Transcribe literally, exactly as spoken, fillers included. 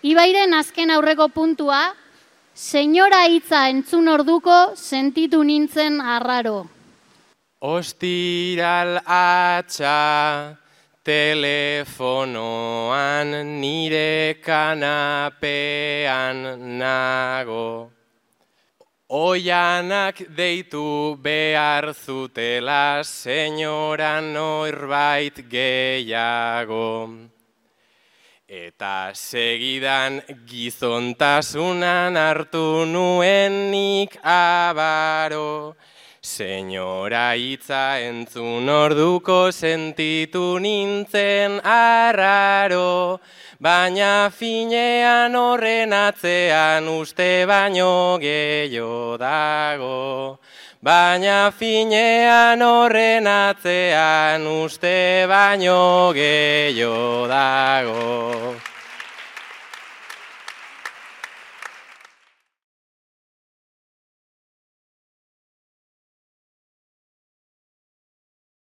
Ibairen azken aurreko puntua, senyora hitza entzun orduko sentitu nintzen arraro. Ostiral atxa telefonoan nire kanapean nago. Oianak deitu behar zutela senyora norbait gehiago. Eta segidan gizontasunan hartu nuenik abaro. Senyora hitza entzun orduko sentitu nintzen arraro. Baina finean horren atzean uste baino gehiago dago. Baina finean horren atzean uste baino gehiago dago.